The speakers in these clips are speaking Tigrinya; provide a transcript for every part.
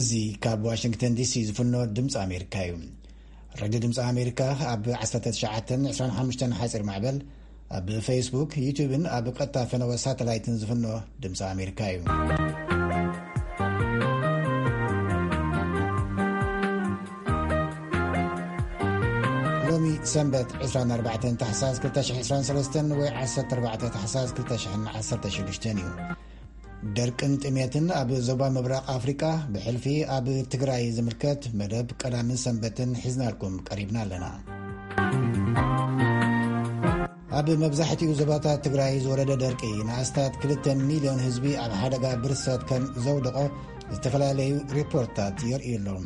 እዚ ካብ ዋሽንግተን ዲሲ ዝፍኖ ድምፂ ኣሜሪካ እዩ። ሬድዮ ድምፂ ኣሜሪካ ኣብ ዓሰርተ ትሽዓተን ዕስራን ሓሙሽተን ሓፂር ማዕበል፣ ኣብ ፌስቡክ፣ ዩቱብን ኣብ ቀጥታ ፈነወ ሳተላይትን ዝፍኖ ድምፂ ኣሜሪካ እዩ። ሎሚ ሰንበት ዕስራን ኣርባዕተን ታሕሳስ ክልተ ሽሕን ዕስራን ሰለስተን ወይ ዓሰርተ ኣርባዕተ ታሕሳስ ክልተ ሽሕን ዓሰርተ ሽዱሽተን እዩ። ደርቅን ጥሜትን ኣብ ዞባ ምብራቕ ኣፍሪቃ ብሕልፊ ኣብ ትግራይ ዝምልከት መደብ ቀዳምን ሰንበትን ሒዝናልኩም ቀሪብና ኣለና። ኣብ መብዛሕትኡ ዞባታት ትግራይ ዝወረደ ደርቂ ንኣስታት ክልተ ሚልዮን ህዝቢ ኣብ ሓደጋ ብርሰት ከም ዘውደቖ ዝተፈላለዩ ሪፖርታት የርእዩ ኣለዉ።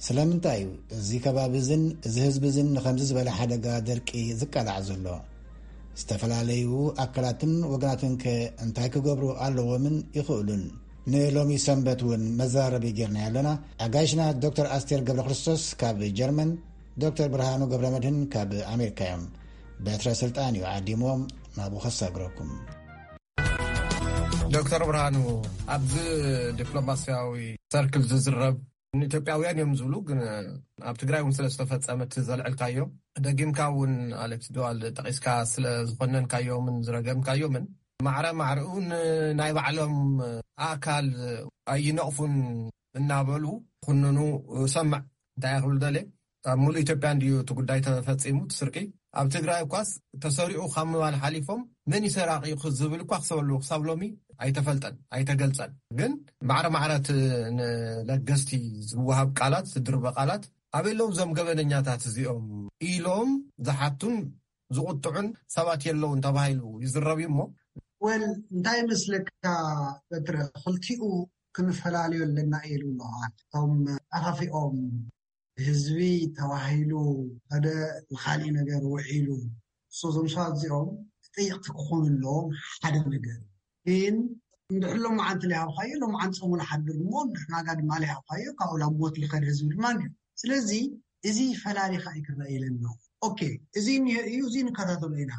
ስለምንታይ እዩ እዚ ከባቢ እዝን እዚ ህዝቢ እዝን ንኸምዚ ዝበለ ሓደጋ ደርቂ ዝቃላዕ ዘሎ? ዝተፈላለዩ ኣካላትን ወገናትን ከ እንታይ ክገብሩ ኣለዎምን ይኽእሉን? ንሎሚ ሰንበት እውን መዛረቢ ጌርና ኣለና። ኣጋይሽና ዶክተር ኣስቴር ገብረ ክርስቶስ ካብ ጀርመን፣ ዶክተር ብርሃኑ ገብረ መድህን ካብ ኣሜሪካ እዮም። በትረ ስልጣን እዩ ዓዲሞም ናብኡ ከሳግረኩም። ዶክተር ብርሃኑ፣ ኣብዚ ዲፕሎማሲያዊ ሰርክል ዝዝረብ ንኢትዮጵያውያን እዮም ዝብሉ፣ ግን ኣብ ትግራይ እውን ስለ ዝተፈጸመ እቲ ዘልዕልካዮ፣ ደጊምካ እውን ኣሌክስ ዱዋል ጠቒስካ ስለ ዝኾነንካዮምን ዝረገምካዮምን፣ ማዕረ ማዕረኡ ንናይ ባዕሎም ኣካል ኣይነቕፉን እናበሉ ኩንኑ ሰምዕ። እንታይ ክብል ደልየ፣ ኣብ ሙሉእ ኢትዮጵያ እንድዩ እቲ ጉዳይ ተፈጺሙ፣ እቲ ስርቂ። ኣብ ትግራይ እኳስ ተሰሪቑ ካብ ምባል ሓሊፎም፣ መን ይሰራቂ ዝብል እኳ ክሰብ ኣለዎ ክሳብ ሎሚ ኣይተፈልጠን፣ ኣይተገልጸን። ግን ማዕረ ማዕረ እቲ ንለገስቲ ዝወሃብ ቃላት፣ ዝድርበ ቃላት፣ ኣበይ ኣለዉ እዞም ገበነኛታት እዚኦም ኢሎም ዝሓቱን ዝቁጥዑን ሰባት የለውን ተባሂሉ ይዝረብ እዩ እሞ። ወል፣ እንታይ ይመስለካ በትረ፣ ክልቲኡ ክንፈላለዮ ኣለና ኢሉ ኣለዋል። እቶም ኣኻፊኦም ህዝቢ ተባሂሉ ሓደ ንኻሊእ ነገር ውዒሉ፣ እሶ እዞም ሰባት እዚኦም ተጠየቕቲ ክኾኑ ኣለዎም ሓደ ነገር። ግን እንድሕር ሎመዓንቲ ለይሃብካዮ፣ ሎመዓንቲ ጾሙ ንሓድር እሞ፣ ንሕናጋ ድማ ለይሃብካዮ፣ ካብኡ ላብ ሞት ልኸድ ህዝቢ ድማ ኣሎ። ስለዚ እዚ ፈላሊኻ እዩ ክረአ ኢለ ኣለኹ። ኦኬ፣ እዚ እኒሀ እዩ፣ እዚ ንከታተሎ ኢና።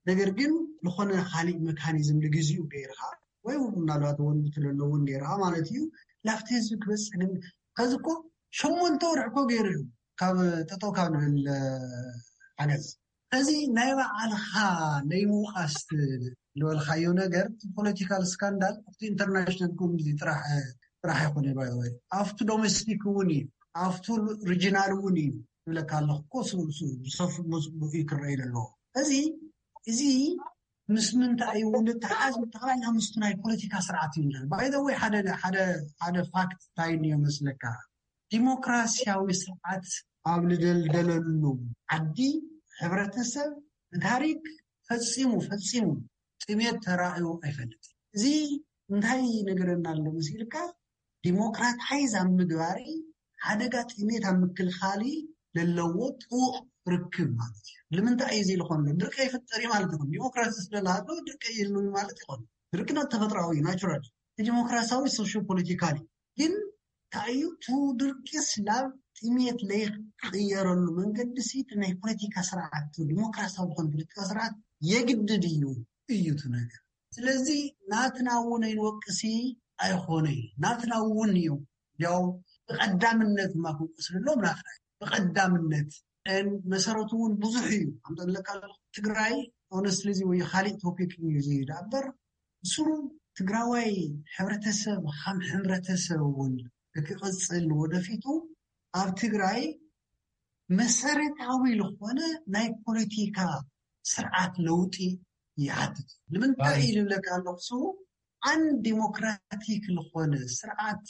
ነገር ግን ዝኾነ ካሊእ መካኒዝም ንግዚኡ ገይርካ፣ ወይ እውን ምናልባት ወንድቱ ለለውን ገይርካ ማለት እዩ፣ ላብቲ ህዝቢ ክበፅሕ ግን፣ ከዚ እኮ ሸሞንተ ወርሒ እኮ ገይሩ እዩ፣ ካብ ጠጠው ካብ ንብል ሓገዝ። እዚ ናይ ባዕልኻ ናይ ምውቃስ ዝበልካዮ ነገር፣ ፖለቲካል ስካንዳል ኣብቲ ኢንተርናሽናል ኮሚኒቲ ጥራሕ ጥራሕ ኣይኮነ፣ ባይ ወይ ኣብቲ ዶሜስቲክ እውን እዩ፣ ኣብቲ ሪጂናል እውን እዩ። ይብለካ ኣለኹ እኮ፣ ሱ- ሱ- ብሰፊ መፅቡቅ እዩ ክረኣይ ዘለዎ። እዚ እዚ ምስ ምንታይ እዩ እውን ተሓዝ? ጠቕላላ ምስቲ ናይ ፖለቲካ ስርዓት እዩ። ባይ ዘ ወይ ሓደ ሓደ ሓደ ፋክት እንታይ እንዮ መስለካ? ዲሞክራሲያዊ ስርዓት ኣብ ልደልደለሉ ዓዲ፣ ሕብረተሰብ ብታሪክ ፈጺሙ ፈጺሙ ጥሜት ተራእዩ ኣይፈልጥን። እዚ እንታይ ነገረና ኣሎ መሲልካ? ዲሞክራታይዝ ኣብ ምግባሪ፣ ሓደጋ ጥሜት ኣብ ምክልኻሊ ለለዎ ጥቡቕ ርክብ ማለት እዩ። ንምንታይ እዩ እዚ ዝኾነ? ድርቂ ይፍጠር እዩ ማለት ይኾን። ዲሞክራሲ ስለለሃሎ ድርቂ የሉ ማለት ይኾን። ድርቂ ና ተፈጥራዊ እዩ፣ ናቹራል። ዲሞክራሲያዊ ሶሽዮ ፖለቲካል እዩ። ግን እንታይ እዩ? ቱ ድርቂ ስላብ ጥሜት ለይቅየረሉ መንገዲ ሲ ናይ ፖለቲካ ስርዓት፣ ዲሞክራሲያዊ ዝኾነ ፖለቲካ ስርዓት የግድድ እዩ፣ እዩ እቲ ነገር። ስለዚ ናትና እውን ኣይንወቅሲ ኣይኾነ እዩ። ናትና እውን እዩ። ያው ብቐዳምነት ማ ክንቆስልሎም ናትና እዩ። ብቐዳምነት እን መሰረቱ እውን ብዙሕ እዩ። ከምጠለካ ትግራይ ኦነስትሊ እዚ ወይ ካሊእ ቶፒክ እዩ እዚ ዳበር ስሩ ትግራዋይ ሕብረተሰብ ከም ሕብረተሰብ እውን ክቅፅል ወደፊቱ ኣብ ትግራይ መሰረታዊ ዝኾነ ናይ ፖለቲካ ስርዓት ለውጢ ይሓትት። ንምንታይ እዩ ዝብለካ ኣለኹ? ስቡ ኣን ዲሞክራቲክ ዝኾነ ስርዓት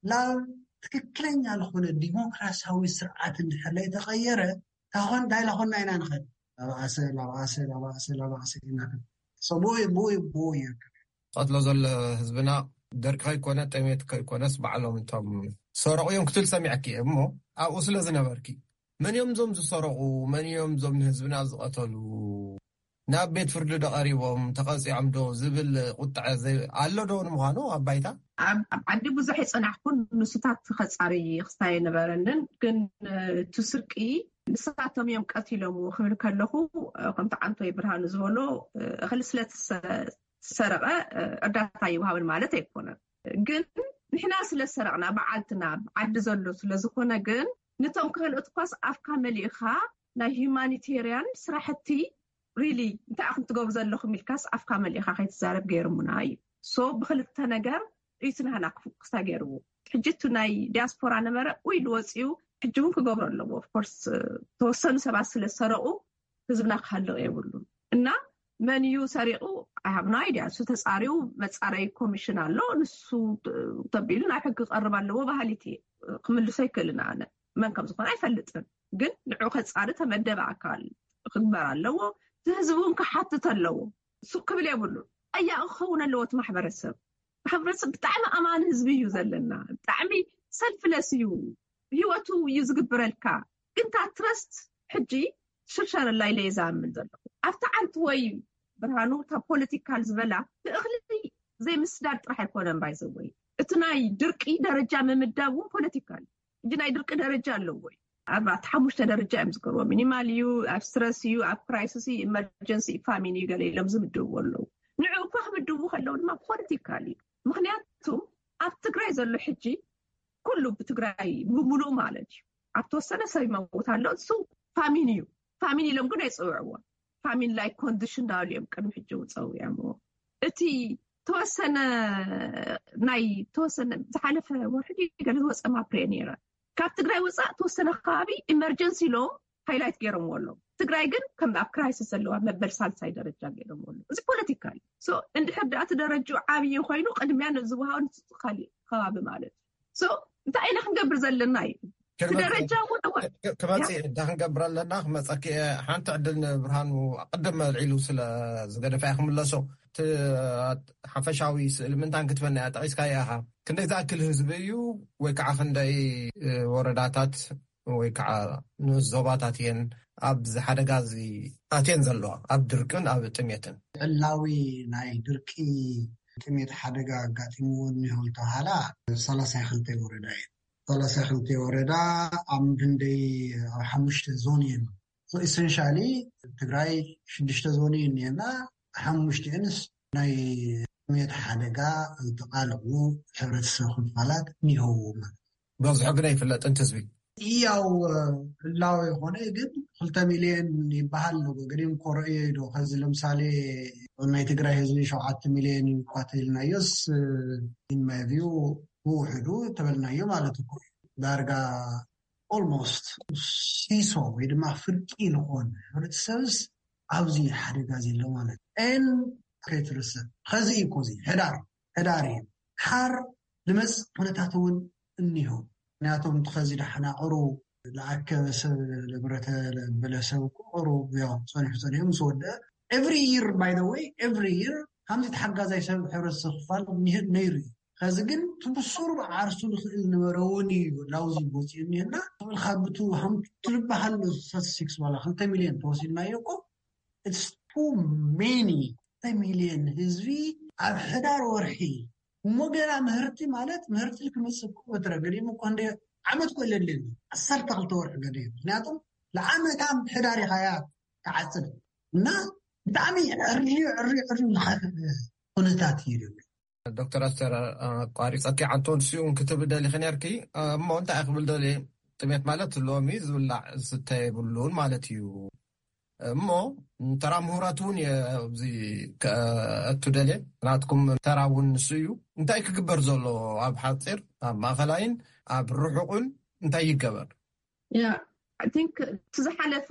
ናብ ትክክለኛ ዝኾነ ዲሞክራሲያዊ ስርዓት እንድሕር ላይ ተቐየረ፣ ታኾን ዳይላ ኾንና ኢና ንኸድ። ላባእሰ ላባእሰ ላባእሰ ላባእሰ ኢና። ብኡ ብኡ ይርከብ። ቀትሎ ዘሎ ህዝብና ደርቂ ከይኮነ፣ ጠሜት ከይኮነስ፣ ባዕሎም እንቶም ሰረቑ እዮም ክትብል ሰሚዐኪ እሞ፣ ኣብኡ ስለ ዝነበርኪ፣ መን እዮም እዞም ዝሰረቑ? መን እዮም እዞም ንህዝብና ዝቐተሉ? ናብ ቤት ፍርዲ ዶ ቀሪቦም፣ ተቐፂዖም ዶ ዝብል ቁጥዐ ዘይ- ኣሎ ዶ ንምዃኑ ኣብ ባይታ? ኣብ ኣብ ዓዲ ብዙሕ የፀናሕኩን፣ ንሱታት ከፃሪ ክስታይ ኣይነበረንን። ግን እቲ ስርቂ ንሳቶም እዮም ቀቲሎምዎ ክብል ከለኹ፣ ከምቲ ዓንቶይ ብርሃኑ ዝበሎ፣ እኽሊ ስለ ትሰ- ዝሰረቐ እርዳታ ይወሃበን ማለት ኣይኮነን። ግን ንሕና ስለ ዝሰረቕና፣ በዓልትና ዓዲ ዘሎ ስለ ዝኾነ፣ ግን ነቶም ካልኦት እኳስ ኣፍካ መሊእኻ ናይ ሂዩማኒቴርያን ስራሕቲ ሪሊ እንታይ ኢኹም ትገብሩ ዘለኹም ኢልካስ ኣፍካ መሊእኻ ከይትዛረብ ገይርሙና እዩ። ሶ ብክልተ ነገር እዩ እቲ ናህና ክፉ ክስታ ገይርዎ። ሕጂ እቲ ናይ ዲያስፖራ ነበረ ወይ ልወፅኡ ሕጂ እውን ክገብሮ ኣለዎ። ኦፍኮርስ ተወሰኑ ሰባት ስለ ዝሰረቑ ህዝብና ክሃልቕ የብሉን። እና መን እዩ ሰሪቑ? ኣይ ሃብ ኖ ኣይድያ። እሱ ተፃሪው መፃረይ ኮሚሽን ኣሎ። ንሱ ተቢሉ ናብ ሕጊ ክቐርብ ኣለዎ። ባህሊት ክምልሶ ኣይክእልን። ኣነ መን ከም ዝኾነ ኣይፈልጥን። ግን ንዑ ከፃሪ ተመደበ ኣካል ክግበር ኣለዎ። እቲ ህዝቢ እውን ክሓትት ኣለዎ። እሱ ክብል የብሉን። ጠያቂ ክኸውን ኣለዎ እቲ ማሕበረሰብ። ማሕበረሰብ ብጣዕሚ ኣማኒ ህዝቢ እዩ ዘለና። ብጣዕሚ ሰልፍለስ እዩ። ህይወቱ እዩ ዝግብረልካ። ግን እታ ትረስት ሕጂ ሽርሸረላ ኢለ እየ ዝኣምን ዘለኹ። ኣብቲ ዓንት ወይ ብርሃኑ እታ ፖለቲካል ዝበላ ንእኽሊ ዘይምስዳድ ጥራሕ ኣይኮነን ባይዘወይ። እቲ ናይ ድርቂ ደረጃ ምምዳብ እውን ፖለቲካል። ሕጂ ናይ ድርቂ ደረጃ ኣለዎ እዩ። ኣርባዕተ ሓሙሽተ ደረጃ እዮም ዝገብርዎ። ሚኒማል እዩ፣ ኣብ ስትረስ እዩ፣ ኣብ ክራይሲስ እዩ፣ ኢመርጀንሲ እዩ፣ ፋሚን እዩ፣ ገለ ኢሎም ዝምድብዎ ኣለዉ። ንዑ እኳ ክምድቡ ከለዉ ድማ ፖለቲካል እዩ። ምክንያቱ ኣብ ትግራይ ዘሎ ሕጂ ኩሉ ብትግራይ ብምሉእ ማለት እዩ። ኣብ ተወሰነ ሰብ ይመውት ኣሎ፣ እሱ ፋሚን እዩ። ፋሚን ኢሎም ግን ኣይፅውዕዎ። ፋሚን ላይ ኮንዲሽን ዳሉ እዮም ቅድሚ ሕጂ እውን ፀዊዖምዎ። እቲ ተወሰነ ናይ ተወሰነ ዝሓለፈ ወርሒ ገለ ዝወፀ ማፕሬ ነይረ። ካብ ትግራይ ወፃእ ተወሰነ ከባቢ ኢመርጀንሲ ኢሎም ሃይላይት ገይሮምዎ ኣለዉ። ትግራይ ግን ከም ኣብ ክራይሲስ ዘለዋ መበል ሳልሳይ ደረጃ ገይሮምዎ ኣለዉ። እዚ ፖለቲካ እዩ። ሶ እንድሕር ደኣ እቲ ደረጃ ዓብዪ ኮይኑ ቅድሚያ ንዝወሃቦ ንሱ ካሊእ ከባቢ ማለት እዩ። ሶ እንታይ ኢና ክንገብር ዘለና እዩ? እቲ ደረጃ እውን ክመፅእ እንዳ ክንገብር ኣለና። ክመፀኪ እየ። ሓንቲ ዕድል ንብርሃኑ ቅድም ኣልዒሉ ስለ ዝገደፋ እየ ክምለሶ። እቲ ሓፈሻዊ ስእሊ ምንታን ክትበና እያ ጠቒስካ እያ። ክንደይ ዝኣክል ህዝቢ እዩ ወይ ከዓ ክንደይ ወረዳታት ወይ ከዓ ንኡስ ዞባታት እየን ኣብዚ ሓደጋ እዚ ኣትየን ዘለዋ ኣብ ድርቅን ኣብ ጥሜትን? ዕላዊ ናይ ድርቂ ጥሜት ሓደጋ ኣጋጢምዎ እኒሆ ዝተባሃላ ሰላሳ ክልተ ወረዳ እየን። ሰላሳ ክልተ ወረዳ ኣብ ክንደይ ኣብ ሓሙሽተ ዞን እየን። ኢሰንሻሊ ትግራይ ሽዱሽተ ዞን እዩ እኒአና። ሓሙሽቲአንስ ናይ ጥሜት ሓደጋ ዝተቓልዑ ሕብረተሰብ ክፋላት እኒሀው ማለት። በዝሑ ግን ኣይፍለጥን እቲ ህዝቢ። ያው ህላወ ይኾነ ግን ክልተ ሚልዮን ይበሃል ኣሎ። ገዲም ኮረእዮ ዶ ከዚ ለምሳሌ ናይ ትግራይ ህዝቢ ሸውዓተ ሚልዮን እዩ እኳ ተይልናዮስ ኢንማይቪው ብውሕዱ ተበልናዮ ማለት እኮ ዳርጋ ኦልሞስት ሲሶ ወይ ድማ ፍርቂ ዝኾነ ሕብረተሰብስ ኣብዚ ሓደጋ ዘሎ ማለት ን ከይትርስእ ከዚ እዩ ኮዚ ሕዳር ሕዳር እዩ ሓር ልመፅ ኩነታት እውን እኒሆ ምክንያቱም ከዚ ዳሓና ቅሩ ለኣከበ ሰብ ለብረተ ለበለ ሰብ ቅሩ ያው ፀኒሑ ፀኒሑ ምስ ወደአ every year by the way every year ከምዚ ተሓጋዛይ ሰብ ሕብረተሰብ ክፋል ነይሩ እዩ ከዚ ግን ትብሱር ዓርሱ ዝኽእል ነበረ እውን እዩ ላውዚ ቦፂኡ እኒሀና ትብል ካብ ብቱ ሃምቱ ትልበሃል ስታቲስቲክስ ዋላ ክልተ ሚልዮን ተወሲድናዮ እኮ it's too many ክልተ ሚልዮን ህዝቢ ኣብ ሕዳር ወርሒ እሞ ገና ምህርቲ ማለት ምህርቲ ክመፅእ እኮ በትረ ገዲም እኮ እንደ ዓመት እኮ የለን ዓሰርተ ክልተ ወርሒ ገዲም ምክንያቱም ለዓመታ ሕዳር ኢኻያ ተዓፅድ እና ብጣዕሚ ዕርዩ ዕርዩ ዕርዩ ዝኸፍእ ኩነታት እዩ ዝብል ዶክተር ኣስተር ኣቋሪፀኪ ዓንቶን ስዩን ክትብል ደሊኺ ነርኪ እሞ እንታይ ክብል ደልየ ጥሜት ማለት ሎሚ ዝብላዕ ዝስተ የብሉን ማለት እዩ እሞ ተራ ምሁራት እውን ኣብዚ ከእቱ ደልየ ናትኩም ተራ እውን ንሱ እዩ እንታይ ክግበር ዘሎ ኣብ ሓፂር ኣብ ማእኸላይን ኣብ ርሑቕን እንታይ ይገበር ያ I think እቲ ዝሓለፈ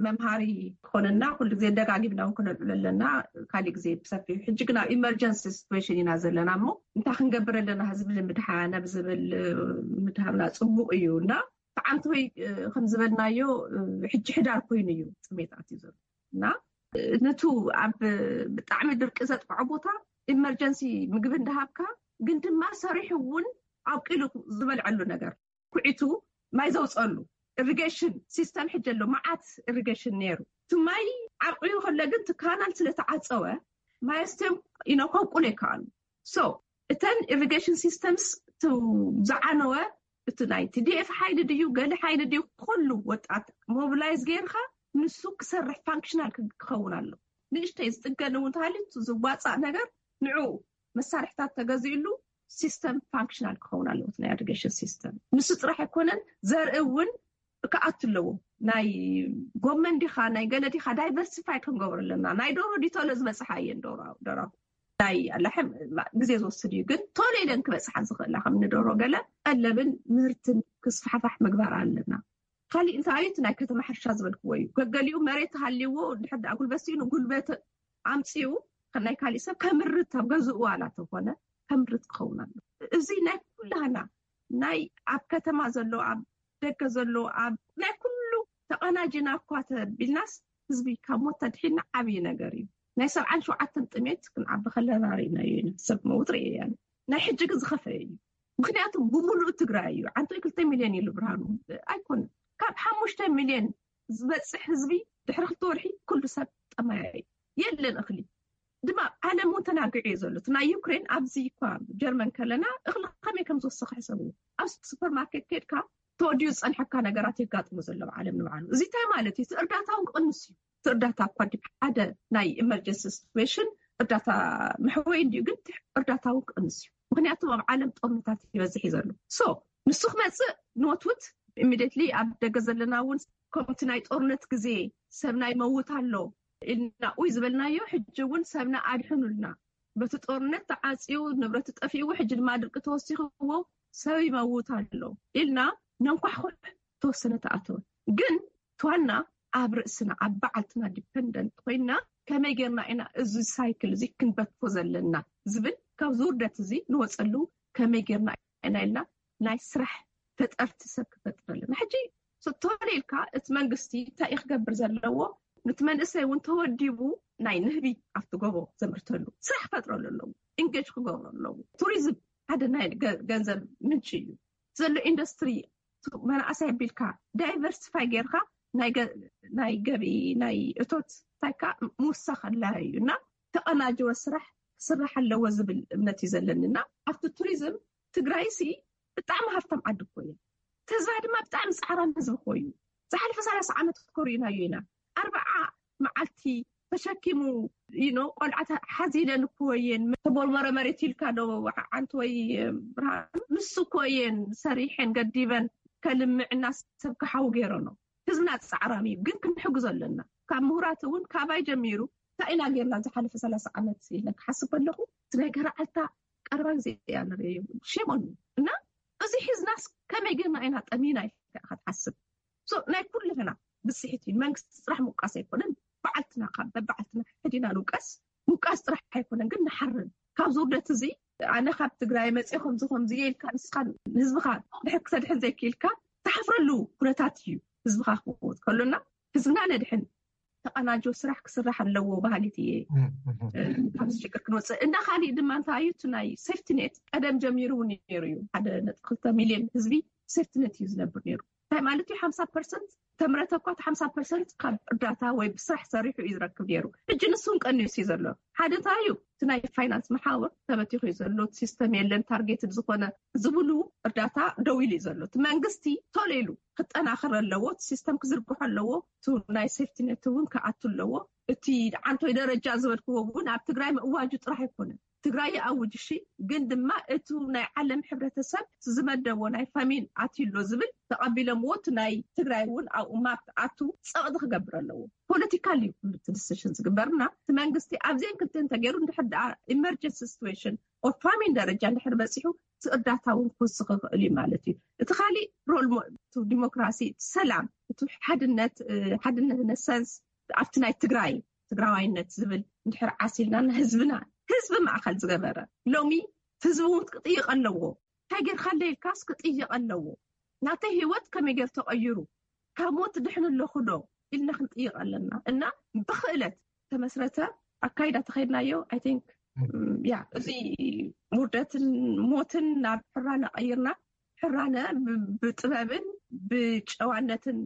መምሃሪ ክኾነና ኩሉ ግዜ ደጋጊምና እውን ክነልዕሎ ኣለና ካሊእ ግዜ ብሰፊሑ ሕጂ ግን ኣብ ኢመርጀንሲ ሲትዌሽን ኢና ዘለና እሞ እንታይ ክንገብር ኣለና ህዝቢ ንምድሓን ኣብ ዝብል ምድሃብና ፅቡቅ እዩ እና ተዓንተወይ ከም ዝበልናዮ ሕጂ ሕዳር ኮይኑ እዩ ጥሜት ኣትዩ ዘሎ እና ነቱ ኣብ ብጣዕሚ ድርቂ ዘጥቅዖ ቦታ ኢመርጀንሲ ምግቢ እንዳሃብካ ግን ድማ ሰሪሑ እውን ኣብቂሉ ዝበልዐሉ ነገር ኩዒቱ ማይ ዘውፀሉ ኢሪጌሽን ሲስተም ሕጂ ኣሎ መዓት ኢሪጌሽን ነይሩ እቲ ማይ ዓቂቡ ከሎ ግን እቲ ካናል ስለተዓፀወ ማይ ኣስትዮም ኢኖ ከብቁሉ ይከኣሉ so እተን ኢሪጌሽን ሲስተምስ ዝዓነወ እቲ ናይ ቲዲኤፍ ሓይሊ ድዩ ገሊ ሓይሊ ድዩ ኩሉ ወጣት ሞቢላይዝ ገይርካ ንሱ ክሰርሕ ፋንክሽናል ክኸውን ኣሎ ንእሽተይ ዝጥገን እውን ተሃልዩ ዝዋፃእ ነገር ንዑ መሳርሕታት ተገዚእሉ ሲስተም ፋንክሽናል ክኸውን ኣለዎ፣ ናይ ኢሪጌሽን ሲስተም። ንሱ ጥራሕ ኣይኮነን፣ ዘርኢ እውን ክኣቱ ኣለዎ። ናይ ጎመን ዲኻ ናይ ገለ ዲኻ ዳይቨርሲፋይ ክንገብሮ ኣለና። ናይ ዶሮ ዲቶሎ ዝበፅሓ እየን ዶሮ ዶሮ ናይ ኣላሕም ግዜ ዝወስድ እዩ፣ ግን ቶሎ ኢለን ክበፅሓ ዝኽእላ ከም ንዶሮ ገለ ቀለብን ምህርትን ክስፋሕፋሕ ምግባር ኣለና። ካሊእ እንታይ እዩ? እቲ ናይ ከተማ ሕርሻ ዝበልክዎ እዩ። ገገሊኡ መሬት ሃልይዎ ድሕር ደኣ ጉልበት ስኢኑ ጉልበት ኣምፅኡ ናይ ካሊእ ሰብ ከምርት ኣብ ገዝኡ ዋላ ተኾነ ከምርት ክኸውን ኣሎ። እዚ ናይ ኩላህና ናይ ኣብ ከተማ ዘሎ ኣብ ደገ ዘሎ ኣብ ናይ ኩሉ ተቐናጅና እኳ ተቢልናስ ህዝቢ ካብ ሞት ተድሒና ዓብዪ ነገር እዩ። ናይ ሰብዓን ሸውዓተን ጥሜት ክንዓቢ ከለና ርኢናዮ ኢና። ሰብ መውት ርኢያ። ናይ ሕጂ ግን ዝኸፈ እዩ። ምክንያቱ ብምሉእ ትግራይ እዩ። ዓንቶ ክልተ ሚልዮን ኢሉ ብርሃኑ ኣይኮነን። ካብ ሓሙሽተ ሚልዮን ዝበፅሕ ህዝቢ ድሕሪ ክልተ ወርሒ ኩሉ ሰብ ጠማያ እዩ። የለን እኽሊ ድማ ዓለም እውን ተናግዑ እዩ ዘሎ። እቲ ናይ ዩክሬን ኣብዚ እኳ ጀርመን ከለና እኽሊ ከመይ ከም ዝወሰኸ ሕሰቡ። ኣብ ሱፐርማርኬት ከድካ ተወዲኡ ዝፀንሐካ ነገራት የጋጥሙ ዘሎ ኣብ ዓለም ንባዕሉ። እዚ እንታይ ማለት እዩ? እቲ እርዳታ እውን ክቕንስ እዩ። እቲ እርዳታ እኳ ድዩ ሓደ ናይ ኢመርጀንሲ ሲትዌሽን እርዳታ መሕወይ እንዲዩ፣ ግን እቲ እርዳታ እውን ክቕንስ እዩ። ምክንያቱ ኣብ ዓለም ጦርነታት ይበዝሕ እዩ ዘሎ። ሶ ንሱ ክመፅእ ንወትውት ኢሚዲየትሊ ኣብ ደገ ዘለና እውን ከምቲ ናይ ጦርነት ግዜ ሰብና ይመውት ኣሎ ኢልና ኡይ ዝበልናዮ፣ ሕጂ እውን ሰብና ኣድሕኑልና፣ በቲ ጦርነት ተዓፅዩ ንብረቱ ጠፊእዎ፣ ሕጂ ድማ ድርቂ ተወሲኽዎ ሰብ ይመውት ኣሎ ኢልና ነንኳሕኩሕ ተወሰነ ተኣተወ። ግን ትዋና ኣብ ርእስና ኣብ በዓልትና ዲፐንደንት ኮይና ከመይ ጌርና ኢና እዚ ሳይክል እዚ ክንበትኮ ዘለና ዝብል ካብዚ ውርደት እዚ ንወፀሉ ከመይ ጌርና ኢና ኢልና ናይ ስራሕ ፈጠርቲ ሰብ ክፈጥር ኣለና። ሕጂ ቶሎ ኢልካ እቲ መንግስቲ እንታይ እዩ ክገብር ዘለዎ? ነቲ መንእሰይ እውን ተወዲቡ ናይ ንህቢ ኣብቲ ጎቦ ዘምርተሉ ስራሕ ክፈጥረሉ ኣለዎ። ኢንጌጅ ክገብሩ ኣለዎ። ቱሪዝም ሓደ ናይ ገ- ገንዘብ ምንጪ እዩ ዘሎ። ኢንዱስትሪ መናእሰይ ኣቢልካ ዳይቨርሲፋይ ጌርካ ናይ ገ- ናይ ገቢ ናይ እቶት ታይካ ምውሳኽ ኣላ እዩ እና ተቐናጀወ ስራሕ ክስራሕ ኣለዎ ዝብል እምነት እዩ ዘለኒ እና ኣብቲ ቱሪዝም ትግራይ ሲ ብጣዕሚ ሃፍታም ዓዲ እኮ እያ። ህዝባ ድማ ብጣዕሚ ፃዕራም ህዝቢ እኮ እዩ። ዝሓለፈ ሰላሳ ዓመት እኮ ርኢናዮ ኢና። ኣርባዓ መዓልቲ ተሸኪሙ ኢኖ ቆልዓ ሓዚለን እኮ እየን። ተቦርበረ መሬት ኢልካ ዶ ዓንቲ ወይ ብርሃን ምስ እኮ እየን ሰሪሐን ገዲበን ከልምዕና ሰብ ክሓው ገይረኖ። ህዝብና ፃዕራም እዩ፣ ግን ክንሕግዞ ኣለና። ካብ ምሁራት እውን ካባይ ጀሚሩ እንታይ ኢና ጌርና ዝሓለፈ ሰላሳ ዓመት ኢለ ክሓስብ ኣለኹ። እቲ ናይ ገርዓልታ ቀረባ ግዜ እያ ንርእዮ። ሼም ኦን እና እዚ ሒዝናስ ከመይ ጌርና ኢና ጠሚና ኢልካ ክትሓስብ። ሶ ናይ ኩልህና ብፅሒት እዩ። መንግስቲ ጥራሕ ምውቃስ ኣይኮነን። በዓልትና ካብ በበዓልትና ሕዲና ንውቀስ። ምውቃስ ጥራሕ ኣይኮነን ግን ንሓርን ካብዚ ውርደት እዚ። ኣነ ካብ ትግራይ መፅእ ከምዚ ከምዚ እየ ኢልካ ንስኻ ንህዝብኻ ድሕር ክተድሕን ዘይክኢልካ ትሓፍረሉ ኩነታት እዩ። ህዝብኻ ክመውት ከሎና ህዝብና ነድሕን። ተቐናጆ ስራሕ ክስራሕ ኣለዎ ባህሊት እየ። ካብዚ ሽግር ክንወፅእ እና ካሊእ ድማ እንታይ እዩ እቲ ናይ ሴፍቲ ኔት ቀደም ጀሚሩ እውን ነይሩ እዩ። ሓደ ነጥቢ ክልተ ሚልዮን ህዝቢ ሴፍቲ ኔት እዩ ዝነብር ነይሩ። እንታይ ማለት እዩ? ሓምሳ ፐርሰንት ተምረተ እኳ እቲ ሓምሳ ፐርሰንት ካብ እርዳታ ወይ ብስራሕ ሰሪሑ እዩ ዝረክብ ነይሩ። ሕጂ ንሱ እውን ቀኒሱ እዩ ዘሎ። ሓደ እንታይ እዩ እቲ ናይ ፋይናንስ መሓውር ተበቲኹ እዩ ዘሎ። ሲስተም የለን ታርጌትድ ዝኾነ ዝብሉ እርዳታ ደው ኢሉ እዩ ዘሎ። እቲ መንግስቲ ቶሎ ኢሉ ክጠናኸር ኣለዎ። እቲ ሲስተም ክዝርግሖ ኣለዎ። እቲ ናይ ሴፍቲ ኔት እውን ክኣቱ ኣለዎ። እቲ ዓንቶይ ደረጃ ዝበልክዎ እውን ኣብ ትግራይ ምእዋጁ ጥራሕ ኣይኮነን። ትግራይ ይኣውጅ እሺ፣ ግን ድማ እቱ ናይ ዓለም ሕብረተሰብ ዝመደቦ ናይ ፋሚን ኣትዩ ኣሎ ዝብል ተቐቢሎምዎ እቲ ናይ ትግራይ እውን ኣብኡ ማፕ ኣቱ ፀቕጢ ክገብር ኣለዎ። ፖለቲካል እዩ ኩሉ እቲ ዲሲሽን ዝግበርና እቲ መንግስቲ ኣብዚአን ክልተ እንተገይሩ እንድሕር ደኣ ኢመርጀንሲ ሲትዌሽን ኦር ፋሚን ደረጃ እንድሕር በፂሑ እቲ እርዳታ እውን ክውስኽ ይኽእል እዩ ማለት እዩ። እቲ ካሊእ ሮል ዲሞክራሲ፣ ሰላም፣ እቲ ሓድነት ሓድነት ነሰንስ ኣብቲ ናይ ትግራይ ትግራዋይነት ዝብል እንድሕር ዓሲልና ንህዝብና ህዝቢ ማእኸል ዝገበረ ሎሚ ህዝቢ እውን ክጥይቕ ኣለዎ። እንታይ ጌርካ ኣለይልካስ ክጥይቕ ኣለዎ። ናተይ ህይወት ከመይ ጌር ተቐይሩ ካብ ሞት ድሕን ኣለኹ ዶ ኢልና ክንጥይቕ ኣለና እና ብክእለት ተመስረተ ኣካይዳ ተኸይድናዮ። ኣይ ቲንክ ያ እዚ ውርደትን ሞትን ናብ ሕራነ ቀይርና ሕራነ ብጥበብን ብጨዋነትን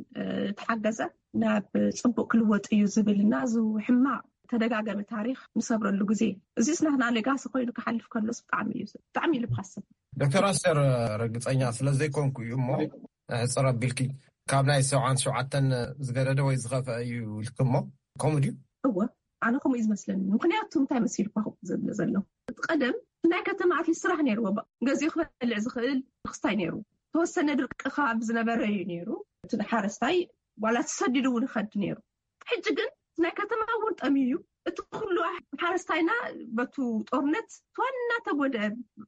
ተሓገዘ ናብ ፅቡቅ ክልወጥ እዩ ዝብል እና እዚ ሕማቅ ተደጋገሚ ታሪክ ንሰብረሉ ግዜ እዚስ ናትና ሌጋሲ ኮይኑ ክሓልፍ ከሎስ ብጣዕሚ እዩ ብጣዕሚ እዩ ልብካ ዝሰብር። ዶክተር ኣስቴር ርግፀኛ ስለዘይኮንኩ እዩ እሞ ሕፅር ኣቢልኪ ካብ ናይ ሰብዓን ሸውዓተን ዝገደደ ወይ ዝኸፍአ እዩ ኢልኪ እሞ ከምኡ ድዩ? እወ ኣነ ከምኡ እዩ ዝመስለኒ። ምክንያቱ እንታይ መሲልኳ ክብል ዝብለ ዘለኹ እቲ ቀደም ናይ ከተማ ኣትሊስት ስራሕ ነይርዎ። ገዚኡ ክበልዕ ዝኽእል ክስታይ ነይሩ። ተወሰነ ድርቂ ከባቢ ዝነበረ እዩ ነይሩ። እቲ ሓረስታይ ዋላ ተሰዲዱ እውን ይኸድ ነይሩ። ሕጂ ግን ናይ ከተማ እውን ጠምዩ እዩ። እቲ ኩሉ ሓረስታይና በቱ ጦርነት ዋና ተጎድአ።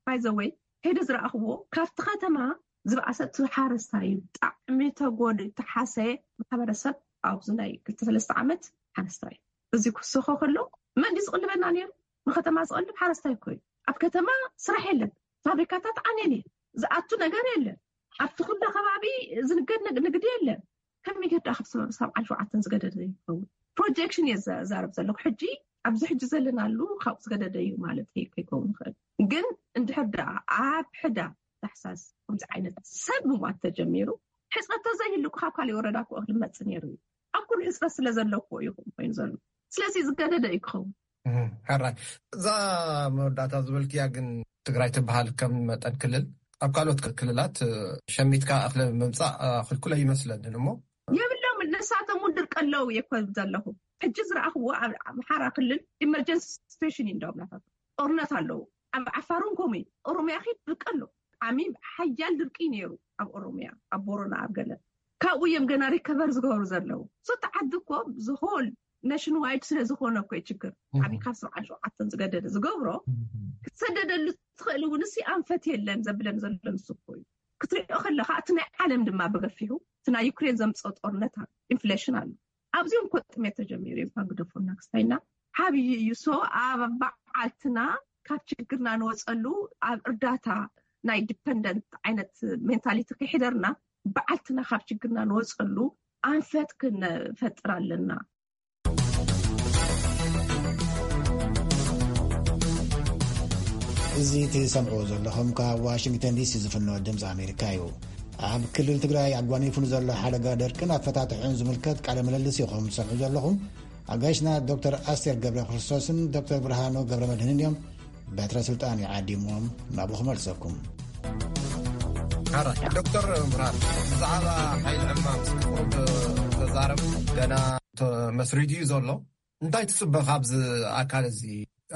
ባይዘወይ ከይደ ዝረኣኽዎ ካብቲ ከተማ ዝበኣሰ እቲ ሓረስታይ እዩ። ብጣዕሚ ተጎድ ተሓሰየ ማሕበረሰብ ኣብዚ ናይ ክልተ ሰለስተ ዓመት ሓረስታይ እዚ ክስኾ ከሎ መን ድዩ ዝቕልበና ነይሩ? ንከተማ ዝቐልብ ሓረስታይ እኮ እዩ። ኣብ ከተማ ስራሕ የለን፣ ፋብሪካታት ዓንየን እየን፣ ዝኣቱ ነገር የለን። ኣብቲ ኩሉ ከባቢ ዝንገድ ንግ- ንግዲ የለን። ከመይ ጌርዳ ካብ ሰብዓን ሸውዓተን ዝገደደ ይኸውን? ፕሮጀክሽን እየ ዘዛረብ ዘለኹ። ሕጂ ኣብዚ ሕጂ ዘለናሉ ካብኡ ዝገደደ እዩ ማለት ከይከውን ይኽእል። ግን እንድሕር ደኣ ኣብ ሕዳ ታሕሳስ ከምዚ ዓይነት ሰብ ምሟት ተጀሚሩ፣ ሕፅረት ተዘይህሉ ካብ ካሊእ ወረዳ ክኦ ክመፅእ ነይሩ እዩ። ኣብ ኩሉ ሕፅረት ስለ ዘለዎ እዩ ኮይኑ ዘሎ። ስለዚ ዝገደደ እዩ ክኸውን። ሕራይ፣ እዛ መወዳእታ ዝበልክያ ግን ትግራይ ትበሃል ከም መጠን ክልል ኣብ ካልኦት ክልላት ሸሚትካ እኽሊ ምምፃእ ክልኩለ ይመስለንን እሞ የብሎም። ንሳቶም እውን ድርቂ ኣለዉ እየ እኮ ዘለኹ። ሕጂ ዝረኣኽዎ ኣብ ኣምሓራ ክልል ኢመርጀንሲ ስቴሽን እዩ እንዳዎም ናታቶም ጦርነት ኣለዉ። ኣብ ዓፋር እውን ከምኡ እዩ። ኦሮሚያ ኺድ ድርቂ ኣሎ። ዓሚ ሓያል ድርቂ ነይሩ ኣብ ኦሮሚያ፣ ኣብ ቦሮና፣ ኣብ ገለ ካብኡ እዮም ገና ሪከቨር ዝገብሩ ዘለዉ። ሶቲ ዓዲ እኮ ዝሆል ነሽን ዋይድ ስለ ዝኾነ እኮ እዩ ችግር። ዓሚ ካብ ሰብዓን ሸውዓተን ዝገደደ ዝገብሮ ክትሰደደሉ ትኽእል እውን እሲ ኣንፈት የለን ዘብለን ዘሎ ንሱ እኮ እዩ። ክትሪኦ ከለኻ እቲ ናይ ዓለም ድማ ብገፊሑ እቲ ናይ ዩክሬን ዘምፅኦ ጦርነት ኣሎ፣ ኢንፍሌሽን ኣሎ። ኣብዚኦም እኮ ጥሜት ተጀሚሩ እዮም ግደፎና ክስታይና ሓብይ እዩ። ሶ ኣብ በዓልትና ካብ ችግርና ንወፀሉ ኣብ እርዳታ ናይ ዲፐንደንት ዓይነት ሜንታሊቲ ከይሕደርና በዓልትና ካብ ችግርና ንወፀሉ ኣንፈት ክንፈጥር ኣለና። እዚ ትሰምዕዎ ዘለኹም ካብ ዋሽንግተን ዲሲ ዝፍኖ ድምፂ ኣሜሪካ እዩ። ኣብ ክልል ትግራይ ኣጓኒፉ ንዘሎ ሓደጋ ደርቅን ኣፈታትሑን ዝምልከት ቃለ ምልልስ ኢኹም ትሰምዑ ዘለኹም። ኣጋይሽና ዶክተር ኣስቴር ገብረ ክርስቶስን ዶክተር ብርሃኑ ገብረ መድህንን እዮም። በትረ ስልጣን ይዓዲሞም ናብኡ ክመልሰኩም። ሕራይ ዶክተር ብርሃን፣ ብዛዕባ ሓይሊ ዕማም እስኪ ቁሩብ ተዛረብ። ገና ተመስሪቱ እዩ ዘሎ። እንታይ ትፅበ ካብዚ ኣካል እዚ?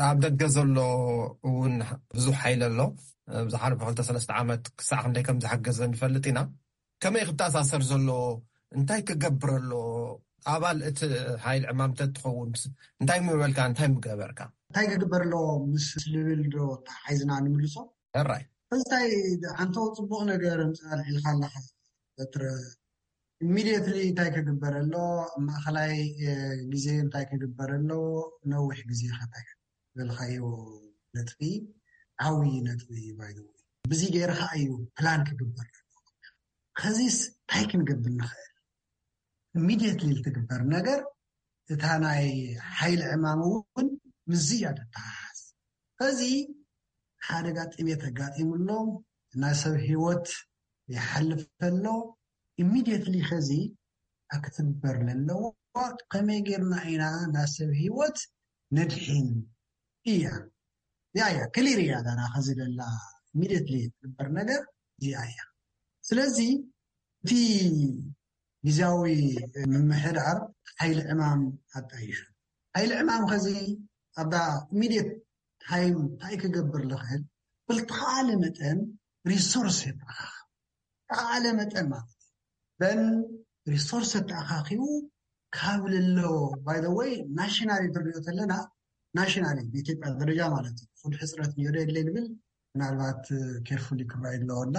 ኣብ ደገ ዘሎ እውን ብዙሕ ሓይሊ ኣሎ። ዝሓለፈ ክልተ ሰለስተ ዓመት ክሳዕ ክንደይ ከም ዝሓገዘ ንፈልጥ ኢና። ከመይ ክተኣሳሰር ዘለዎ? እንታይ ክገብር ኣሎ? ኣባል እቲ ሓይሊ ዕማም ተትኸውን እንታይ ምበልካ፣ እንታይ ምገበርካ? እንታይ ክግበር ኣለዎ ምስ ልብል ዶ ተሓሒዝና ንምልሶ? ሕራይ። እንታይ ሓንቶ ጽቡቕ ነገር ምጽእ ኣልዒልካ ኣለኻ በትረ። ኢሚድየትሊ እንታይ ክግበር ኣሎ? ኣብ ማእኸላይ ግዜ እንታይ ክግበር ኣለዎ? ነዊሕ ግዜ ከ እንታይ ዝበልካዮ ነጥቢ ዓብዪ ነጥቢ እዩ። ባይ ዘ ወይ ብዚ ገይርካ እዩ ፕላን ክግበር ኣለዎ። ከዚስ እንታይ ክንገብር ንኽእል? ኢሚድየትሊ ትግበር ነገር እታ ናይ ሓይሊ ዕማም እውን ምስዚ እያ ተተሓሓዝ። ከዚ ሓደጋ ጥሜት ኣጋጢሙ ኣሎ፣ ናይ ሰብ ህይወት ይሓልፍ ኣሎ። ኢሚድየትሊ ከዚ ክትግበር ለለዎ ከመይ ጌርና ኢና ናይ ሰብ ህይወት ነድሕን እያ። ያ ያ ክሊር እያ ዳራ ከዚ ለላ ኢሚድየትሊ ትግበር ነገር እዚኣ እያ። ስለዚ እቲ ግዝያዊ ምምሕዳር ሓይሊ ዕማም ኣጣይሹ። ሓይሊ ዕማም ከዚ ኣብዳ ኢሚድየት ታይም እንታይ ክገብር ዝኽእል ብልተኻለ መጠን ሪሶርስ የተኣኻኽ ተኻለ መጠን ማለት እዩ። በን ሪሶርስ ተኣኻኺቡ ካብ ለሎ ባይ ዘ ወይ ናሽናሊ ትሪኦ ተለና ናሽናሊ ብኢትዮጵያ ደረጃ ማለት እዩ። ፉድ ሕፅረት ነይሩ የለ ንብል ምናልባት ኬርፉሊ ክረኣይ ኣለዎ እና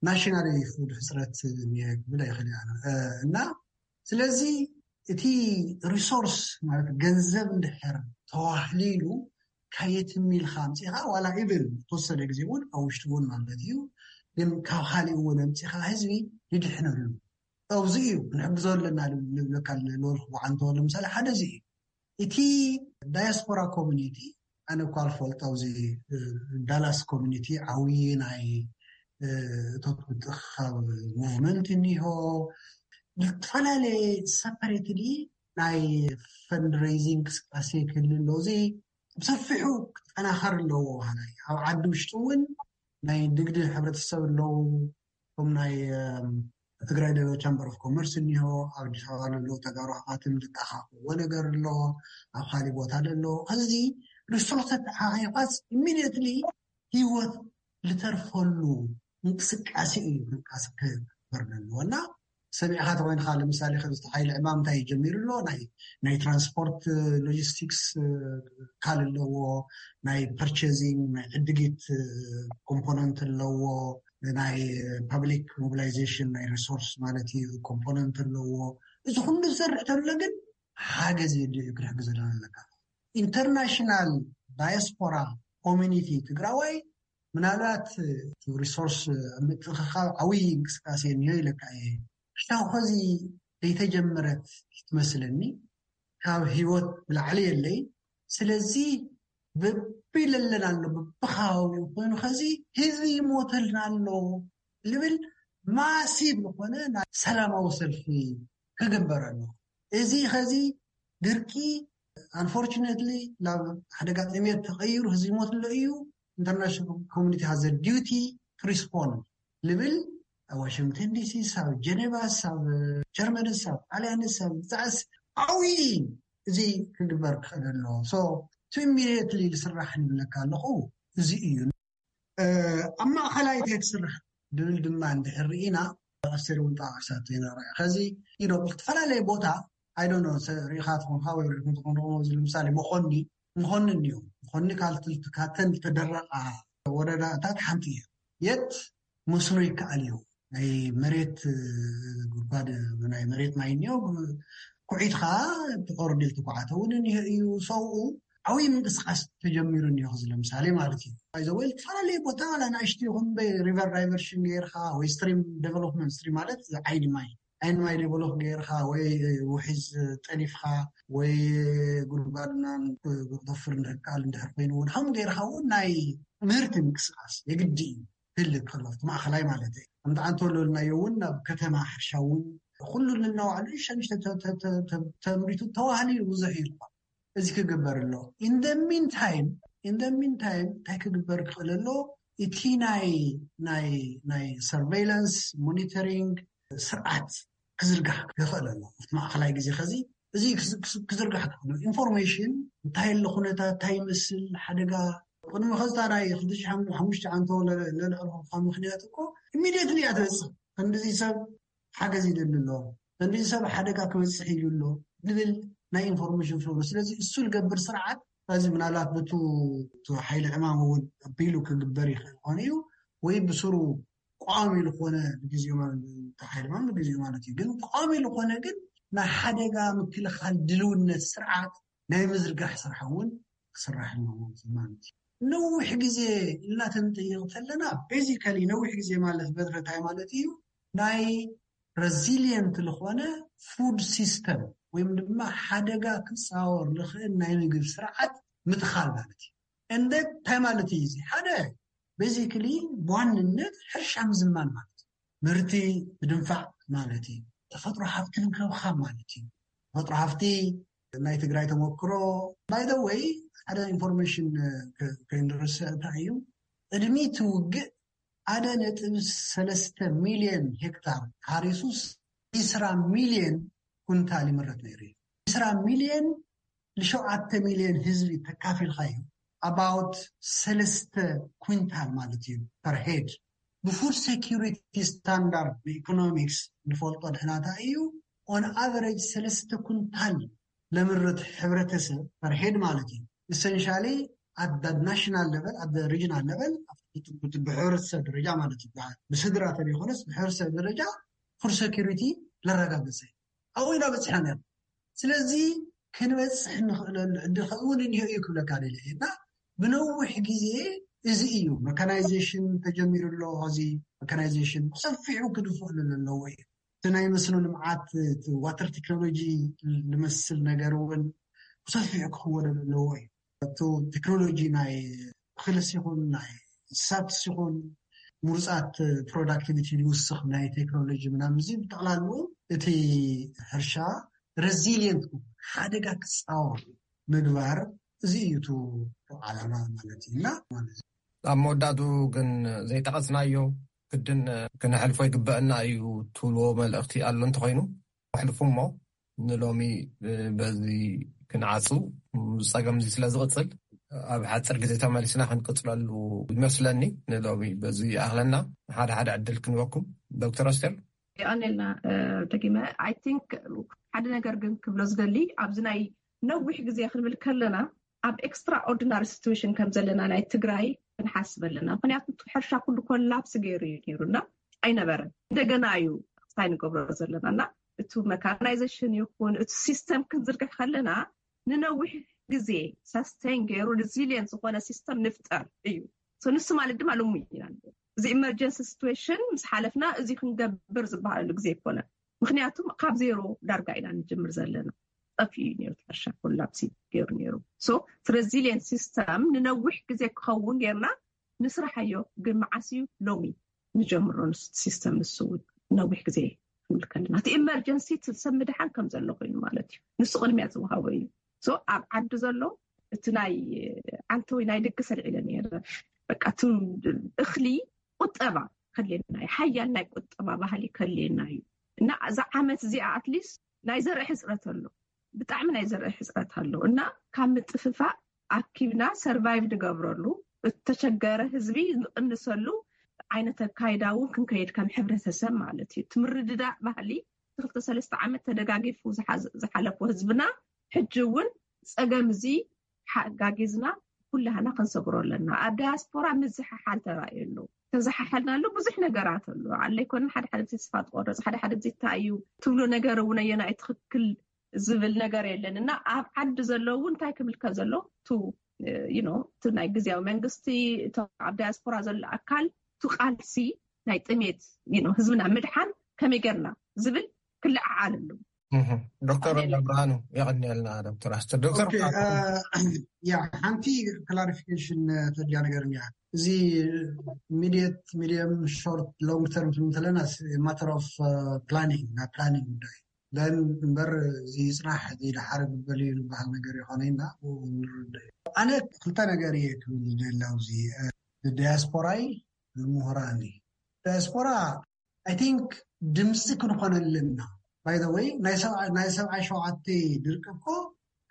ናሽናሊ ፉድ ሕፅረት ክብል ኣይኽእል እያ እና ስለዚ እቲ ሪሶርስ ማለት ገንዘብ እንድሕር ተዋህሊሉ ካየትም ኢልካ ኣምፂኻ ዋላ ኢብል ተወሰነ ግዜ እውን ኣብ ውሽጢ እውን ማለት እዩ ግን ካብ ካሊእ እውን ኣምፂኻ ህዝቢ ይድሕነሉ ኣብዚ እዩ ክንሕግዞ ኣለና ልብለካ ልበልኩ ብዓንተወ ለምሳሌ ሓደ እዚ እዩ እቲ ዳያስፖራ ኮሚኒቲ ኣነ እኳ ልፈልጦ ኣብዚ ዳላስ ኮሚኒቲ ዓብዪ ናይ እቶት ምትእኽኻብ ሞቭመንት እኒሆ ዝተፈላለየ ሰፐሬትሊ ናይ ፈንድሬይዚንግ እንቅስቃሴ ክህሉ ኣሎ እዚ ብሰፊሑ ክጠናኸር ኣለዎ በሃላይ ኣብ ዓዲ ውሽጢ እውን ናይ ንግዲ ሕብረተሰብ ኣለዉ ከም ናይ ትግራይ ዶ ቻምበር ኦፍ ኮመርስ እኒሆ ኣብ ኣዲስ ኣበባ ለለዉ ተጋሩ ኣሕዋትን ልተኣኻኽብዎ ነገር ኣሎ ኣብ ካሊእ ቦታ ለሎ ከዚ ሪሶርስ ተተሓሒቋስ ኢሚድየትሊ ህይወት ልተርፈሉ እንቅስቃሴ እዩ። እንቅስቃሴ ክግበር ኣለዎ እና ሰሚዕካ ተኮይንካ፣ ለምሳሌ ከምዚ ሓይሊ ዕማም እንታይ ጀሚሩ ኣሎ? ናይ ናይ ትራንስፖርት ሎጂስቲክስ ካል ኣለዎ፣ ናይ ፐርቸዚንግ ናይ ዕድጊት ኮምፖነንት ኣለዎ፣ ናይ ፐብሊክ ሞቢላይዜሽን ናይ ሪሶርስ ማለት እዩ ኮምፖነንት ኣለዎ። እዚ ኩሉ ዝሰርሕ ተሎ ግን ሓገዝ የድልዩ ክነሕግዘና ኣለካ። ኢንተርናሽናል ዳያስፖራ ኮሚኒቲ ትግራዋይ ምናልባት ሪሶርስ ምጥንክኻብ ዓብይ እንቅስቃሴ እኒኦ ኢለካ እየ። ክሻው ከዚ ዘይተጀመረት ትመስለኒ፣ ካብ ህይወት ብላዕሊ የለይ። ስለዚ በቢለለን ኣሎ፣ በብከባቢኡ ኮይኑ ከዚ ህዝቢ ይሞተልና ኣሎ ልብል ማሲብ ዝኾነ ናይ ሰላማዊ ሰልፊ ክግበር ኣሎ። እዚ ከዚ ድርቂ ኣንፎርቹነትሊ ናብ ሓደጋ ጥሜት ተቐይሩ ህዝቢ ይሞት ኣሎ እዩ። ኢንተርናሽናል ኮሚኒቲ ሃዘ ዲዩቲ ቱ ሪስፖንድ ልብል ኣብ ዋሽንግተን ዲሲ፣ ኣብ ጀኔቫ፣ ኣብ ጀርመንስ፣ ኣብ ጣልያንስ፣ ኣብ ብዛዕስ ዓብዪ እዚ ክግበር ክኽእል ኣለዎ። ሶ ቱ ኢሚዲየትሊ ዝስራሕ ንብለካ ኣለኹ እዚ እዩ። ኣብ ማእኸላይ እንታይ ትስራሕ ድብል ድማ እንድሕር ርኢና፣ ኣስቴር እውን ጠቃቂሳቶ ኢና ርኣ ከዚ ኢዶ ብዝተፈላለየ ቦታ ኣይዶኖ ርኢኻ ትኾንካ ወይ ርኢኹም ትኾንኩም እዚ ንምሳሌ መኾኒ መኾኒ እኒኦ መኾኒ ካልትልት ካተን ዝተደረቃ ወረዳታት ሓንቲ እያ። የት መስኖ ይከኣል እዩ። ናይ መሬት ጉድጓድ ናይ መሬት ማይ እኒኦ ኩዒትካ ትቆርዲል ትኳዓተ እውን እኒኦ እዩ። ሰብኡ ዓብይ ምንቅስቃስ ተጀሚሩ እኒኦ እዚ ለምሳሌ ማለት እዩ። ይዘወይ ዝተፈላለዩ ቦታ ላ ናእሽቲ ይኹን በይ ሪቨር ዳይቨርሽን ገይርካ ወይ ስትሪም ዴቨሎፕመንት ስትሪም ማለት ዓይኒ ማይ ዓይኒ ማይ ዴቨሎፕ ገይርካ ወይ ውሒዝ ጠሊፍካ ወይ ጉድጓድና ክቆፍር እንድሕር ከኣል እንድሕር ኮይኑ እውን ከም ገይርካ እውን ናይ ምህርቲ ምንቅስቃስ የግዲ እዩ። ክህልክ ከሎ እቲ ማእኸላይ ማለት እዩ። ከምቲ ዓንተወለልናዮ እውን ናብ ከተማ ሕርሻ እውን ኩሉ ንናዋዕሉ ሸንሽተ ተምሪቱ ተዋህሊ ብዙሕ እዩ። እዚ ክግበር ኣሎ። ኢንደ ሚንታይም ኢንደ ሚንታይም እንታይ ክግበር ክኽእል ኣሎ? እቲ ናይ ናይ ናይ ሰርቬይላንስ ሞኒተሪንግ ስርዓት ክዝርጋሕ ክኽእል ኣሎ። ኣብቲ ማእኸላይ ግዜ ከዚ እዚ ክዝርጋሕ ክኽእል ኢንፎርሜሽን እንታይ ኣሎ ኩነታት እንታይ ይመስል ሓደጋ ቅድሚ ከዝታ ናይ ክልተ ሽሕ ሓሙሽተ ዓንቶ ለልዕልኹ ካብ ምክንያት እኮ ኢሚድየትሊ እያ ትበፅእ። ክንዲዚ ሰብ ሓገዝ ይደሊ ኣሎ፣ ክንዲዚ ሰብ ሓደጋ ክበፅሕ ኢሉ ኣሎ ዝብል ናይ ኢንፎርሜሽን ፍሎ። ስለዚ እሱ ዝገብር ስርዓት እዚ ምናልባት በቱ ሓይሊ ዕማም እውን ኣቢሉ ክግበር ይኽእል ኾነ እዩ ወይ ብስሩ ቋሚ ዝኾነ ንግዜኡ ተሓይልማም ንግዜኡ ማለት እዩ። ግን ቋሚ ዝኾነ ግን ናይ ሓደጋ ምክልኻል ድልውነት ስርዓት ናይ ምዝርጋሕ ስራሕ እውን ክስራሕ ኣለዎ ማለት እዩ። ነዊሕ ግዜ ኢልና ተንጠይቕ ከለና ቤዚካሊ ነዊሕ ግዜ ማለት በትረታይ ማለት እዩ ናይ ረዚሊየንት ዝኾነ ፉድ ሲስተም ወይም ድማ ሓደጋ ክፃወር ዝኽእል ናይ ምግብ ስርዓት ምትኻል ማለት እዩ። እንደ እንታይ ማለት እዩ እዚ ሓደ ቤዚክሊ ብዋንነት ሕርሻ ምዝማን ማለት እዩ። ምህርቲ ምድንፋዕ ማለት እዩ። ተፈጥሮ ሃፍቲ ምክብኻብ ማለት እዩ። ተፈጥሮ ሃፍቲ ናይ ትግራይ ተመክሮ ባይ ዘ ወይ ሓደ ኢንፎርሜሽን ከይንርስ እንታይ እዩ ቅድሚ እቲ ውግእ ሓደ ነጥብ ሰለስተ ሚልዮን ሄክታር ሓሪሱስ ዒስራ ሚልዮን ኩንታል ይምረት ነይሩ እዩ። ዒስራ ሚልዮን ንሸውዓተ ሚልዮን ህዝቢ ተካፊልካ እዩ ኣባውት ሰለስተ ኩንታል ማለት እዩ ፐር ሄድ። ብፉድ ሴኪሪቲ ስታንዳርድ ብኢኮኖሚክስ ንፈልጦ ድሕናታ እዩ ኦን ኣቨሬጅ ሰለስተ ኩንታል ለምርት ሕብረተሰብ ፐር ሄድ ማለት እዩ። ኢሰንሻሊ ኣት ናሽናል ለቨል ኣት ሪጅናል ለቨል ብሕብረተሰብ ደረጃ ማለት እዩ። ብስድራ ተለይኮነስ ብሕብረተሰብ ደረጃ ፉድ ሴኪሪቲ ለረጋገፀ ኣብኡ ኢና በፂሕና ነር። ስለዚ ክንበፅሕ ንኽእለሉ ዕድል ከምኡ እውን እኒሆ እዩ ክብለካ ደለ እና ብነዊሕ ግዜ እዚ እዩ መካናይዜሽን ተጀሚሩ ኣሎ። እዚ መካናይዜሽን ብሰፊሑ ክድፍእሉ ኣለዎ እዩ። እቲ ናይ መስኖ ልምዓት ዋተር ቴክኖሎጂ ዝመስል ነገር እውን ብሰፊሑ ክኽወደሉ ኣለዎ እዩ። እቲ ቴክኖሎጂ ናይ ክልስ ይኹን ናይ እንስሳትስ ይኹን ምሩፃት ፕሮዳክቲቪቲ ዝውስኽ ናይ ቴክኖሎጂ ምናምን እዚ ብጠቕላሉ እቲ ሕርሻ ረዚሊየንት ሓደጋ ክፃወር ምግባር እዚ እዩ እቲ ዓላማ ማለት እዩ እና ማለት እዩ። ኣብ መወዳእቱ ግን ዘይጠቐስናዮ ግድን ክነሕልፎ ይግበአና እዩ ትብልዎ መልእኽቲ ኣሎ እንተኾይኑ ኣሕልፉ እሞ ንሎሚ በዚ ክንዓፁ ጸገም እዚ ስለ ዝቕፅል ኣብ ሓፂር ግዜ ተመሊስና ክንቅፅለሉ ይመስለኒ። ንሎሚ በዚ ይኣኽለና። ሓደ ሓደ ዕድል ክንበኩም። ዶክተር ኣስቴር። የቐኔልና። ደጊመ፣ I think ሓደ ነገር ግን ክብሎ ዝደሊ፣ ኣብዚ ናይ ነዊሕ ግዜ ክንብል ከለና ኣብ extraordinary situation ከም ዘለና ናይ ትግራይ ክንሓስብ ኣለና። ምክንያቱ እቲ ሕርሻ ኩሉ ኮላፕስ ገይሩ እዩ ነይሩ እና ኣይነበረን። እንደገና እዩ ሳይ ንገብሮ ዘለና እና እቲ መካናይዜሽን ይኹን እቲ ሲስተም ክንዝርግሕ ከለና ንነዊሕ ግዜ ሳስቴን ገይሩ ሪዚሊየንት ዝኾነ ሲስተም ንፍጠር እዩ። ንሱ ማለት ድማ ልሙ ኢና። እዚ ኢመርጀንሲ ሲትዌሽን ምስ ሓለፍና እዚ ክንገብር ዝበሃለሉ ግዜ ኣይኮነን። ምክንያቱም ካብ ዜሮ ዳርጋ ኢና ንጅምር ዘለና። ጠፊኡ እዩ ነይሩ፣ ሕርሻ ኮላፕሲ ገይሩ ነይሩ። ሶ ሬዚሊየንት ሲስተም ንነዊሕ ግዜ ክኸውን ጌርና ንስራሓዮ። ግን መዓስ እዩ? ሎሚ ንጀምሮ። ንሱ ሲስተም ንሱ እውን ነዊሕ ግዜ ክንብል ከለና እቲ ኢመርጀንሲ ሰብ ምድሓን ከም ዘሎ ኮይኑ ማለት እዩ። ንሱ ቅድሚያ ዝወሃቦ እዩ። ሶ ኣብ ዓዲ ዘሎ እቲ ናይ ዓንተወይ ናይ ድግስ ኣልዒለ ነይረ። በቃ እቲ እኽሊ ቁጠባ ከድልየና እዩ። ሓያል ናይ ቁጠባ ባህሊ ከድልየና እዩ። እና እዛ ዓመት እዚኣ ኣትሊስት ናይ ዘርኢ ሕፅረት ኣሎ፣ ብጣዕሚ ናይ ዘርኢ ሕፅረት ኣሎ እና ካብ ምጥፍፋእ ኣኪብና ሰርቫይቭ ንገብረሉ፣ እተሸገረ ህዝቢ ንቕንሰሉ ዓይነት ኣካይዳ እውን ክንከይድ ከም ሕብረተሰብ ማለት እዩ። ትምርድዳእ ባህሊ ክልተ ሰለስተ ዓመት ተደጋጊፉ ዝሓለፎ ህዝብና ሕጂ እውን ፀገም እዚ ሓጋጊዝና ኩላህና ክንሰግሮ ኣለና። ኣብ ዳያስፖራ ምዝሓሓል ተራእዩ ኣሎ። ተዘሓሓልና ኣሎ ብዙሕ ነገራት ኣሎ። ኣለ ኣይኮነን ሓደ ሓደ ግዜ ተስፋ ትቆርፅ፣ ሓደ ሓደ ግዜ እንታይ እዩ ትብሎ ነገር እውን ኣየናይ ትኽክል ዝብል ነገር የለን እና ኣብ ዓዲ ዘለዉ እንታይ ክብል ከም ዘሎ ቱ ዩ ኖ እቲ ናይ ግዜያዊ መንግስቲ እቶም ኣብ ዳያስፖራ ዘሎ ኣካል ቱ ቃልሲ ናይ ጥሜት ዩ ኖ ህዝብና ምድሓን ከመይ ጌርና ዝብል ክለዓዓል ኣሎ። ዶክተር ብርሃኑ የቐንየልና። ዶክተር ኣስተር ዶክተር ያ ሓንቲ ክላሪፊኬሽን ተድያ ነገር እያ። እዚ ሚዲየት ሚዲየም ሾርት ሎንግ ተርም እንተለና ማተር ኦፍ ፕላኒንግ ናይ ፕላኒንግ ጉዳይ ን እምበር እዚ ይፅናሕ እዚ ድሓር ግበል እዩ ዝበሃል ነገር ይኮነ ኢና ንርድእ እዩ። ኣነ ክልተ ነገር እየ ክብል ደላው እዚ ንዲያስፖራይ ንምሁራን ዲያስፖራ I think ድምፂ ክንኾነልና። By the way ናይ ሰብዓይ ሸውዓተ ድርቂ እኮ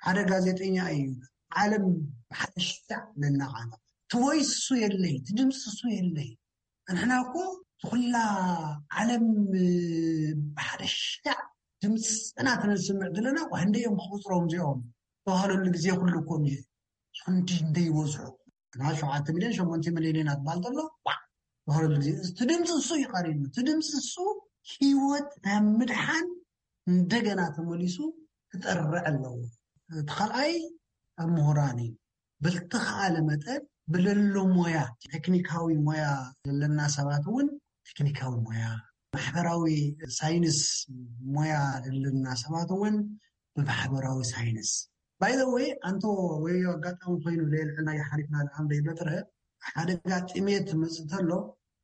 ሓደ ጋዜጠኛ እዩ ዓለም ብሓደ ሽታዕ ለናቃና ትወይሱ የለይ ትድምፂ እሱ የለይ። ንሕና እኮ ትኩላ ዓለም ብሓደ ሽታዕ ድምፅና ተነስምዕ ዘለና ዋህንደ እዮም ክቁፅሮም እዚኦም ተባሃለሉ ግዜ ኩሉ እኮ እዩ። ክንዲ እንደ ይበዝሑ እና ሸውዓተ ሚልዮን ሸሞንተ ሚልዮን ኢና ትበሃል ዘሎ። ተባሃለሉ ግዜ እቲ ድምፂ እሱ እዩ ቀሪኑ። እቲ ድምፂ እሱ ህይወት ናይ ምድሓን እንደገና ተመሊሱ ክጠርዕ ኣለዎ። እቲ ካልኣይ ኣብ ምሁራን እዩ። ብልተኻለ መጠን ብለሎ ሞያ ቴክኒካዊ ሞያ ዘለና ሰባት እውን ቴክኒካዊ ሞያ ማሕበራዊ ሳይንስ ሞያ ዘለና ሰባት እውን ብማሕበራዊ ሳይንስ ባይዘወይ ኣንተ ወይ ኣጋጣሚ ኮይኑ ለየልዕልና ይሓሊፍና ንዓም ደይበጥረ ሓደጋ ጥሜት መፅእ ተሎ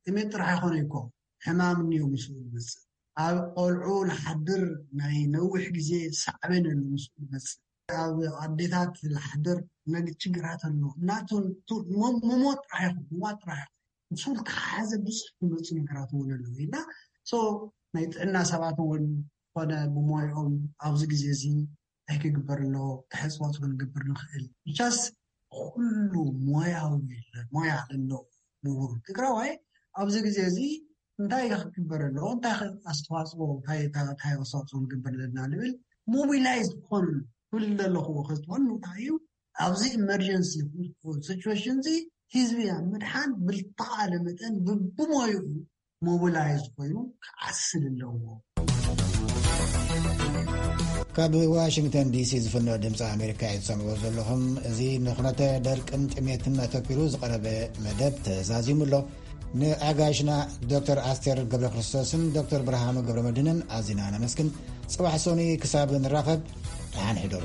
ጥሜት ጥራሕ ይኮነ ይኮ ሕማም እኒዮ ምስኡ ዝመፅእ ኣብ ቆልዑ ንሓድር ናይ ነዊሕ ግዜ ሳዕበን ኣሎ ምስኡ ዝመፅእ ኣብ ኣዴታት ዝሓድር ነግ ችግራት ኣሎ እናቱ ምሞት ጥራሕ ይኹን ምማት ጥራሕ ይኹን ምስ ተሓሓዘ ብዙሕ ዝመፁ ነገራት እውን ኣለዉ እና ናይ ጥዕና ሰባት እውን ኮነ ብሞይኦም ኣብዚ ግዜ እዚ እንታይ ክግበር ኣለዎ ተሕፅቦት ክንገብር ንኽእል ብቻስ ኩሉ ሞያዊ ሞያ ኣለዎ ምሁር ትግራዋይ ኣብዚ ግዜ እዚ እንታይ ክግበር ኣለዎ እንታይ ኣስተዋፅኦ እንታይ ኣስተዋፅኦ ክንገብር ኣለና ንብል ሞቢላይዝ ክኾኑ ኩሉ ዘለኽዎ ከዝትኾኑ እንታይ እዩ ኣብዚ ኢመርጀንሲ ሲቹዌሽን እዚ ህዝቢ ኣብ ምድሓን ብልተኻለ መጠን ብሞይኡ ሞቢላይዝ ኮይኑ ክዓስል ኣለዎ። ካብ ዋሽንግተን ዲሲ ዝፍኖ ድምፂ ኣሜሪካ እዩ ትሰምዕዎ ዘለኹም። እዚ ንኩነተ ደርቅን ጥሜትን ኣተኪሩ ዝቐረበ መደብ ተዛዚሙ ኣሎ። ንኣጋይሽና ዶክተር ኣስቴር ገብረ ክርስቶስን ዶክተር ብርሃኑ ገብረ መድህንን ኣዚና ነመስግን። ፅባሕ ሶኒ ክሳብ ንራኸብ ደሓን ሕደሩ።